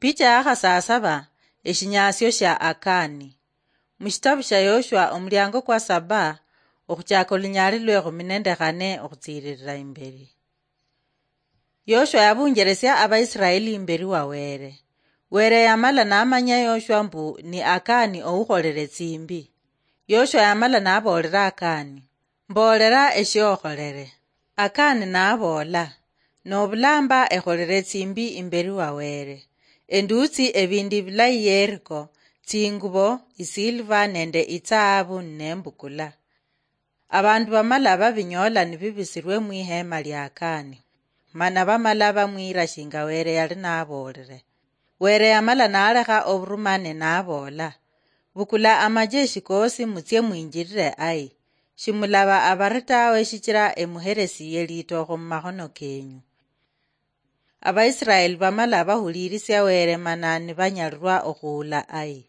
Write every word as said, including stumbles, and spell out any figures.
Picha ya khasasaba, eshinyaasio shia Akani. Mushitabu shia Yoshua, omuliango kwa saba, okhuchaka olunyaali lwekhumi nende khane okhutsiililila imbeli. Yoshua yabunjelesia Abaisiraeli imbeli wa Wele. Wele yamala namanya Yoshua mbu ni Akani oukholele tsimbi. Yoshua yamala naboolela Akani, "Mboolela eshiokholele." Akani naboola, "Nobulamba ekholele tsimbi imbeli wa Wele. Endutsi ebindu ebilayi Yeriko, tsingubo, isilva nende itsaabu nembukula." Abandu bamala babinyoola nibibisilwe mwiheema lia Akani, mana bamala bamwiira shinga Wele yali naboolile. Wele yamala nalekha oburumane naboola, "Bukula amajeshi koosi mutsie mwinjilile Ai. Shimulaba abari tawe shichila emuhelesiye litookho mumakhono kenyu." Abaisiraeli bamala bahuliilisia Wele mana nibanyalilwa okhuula Ai.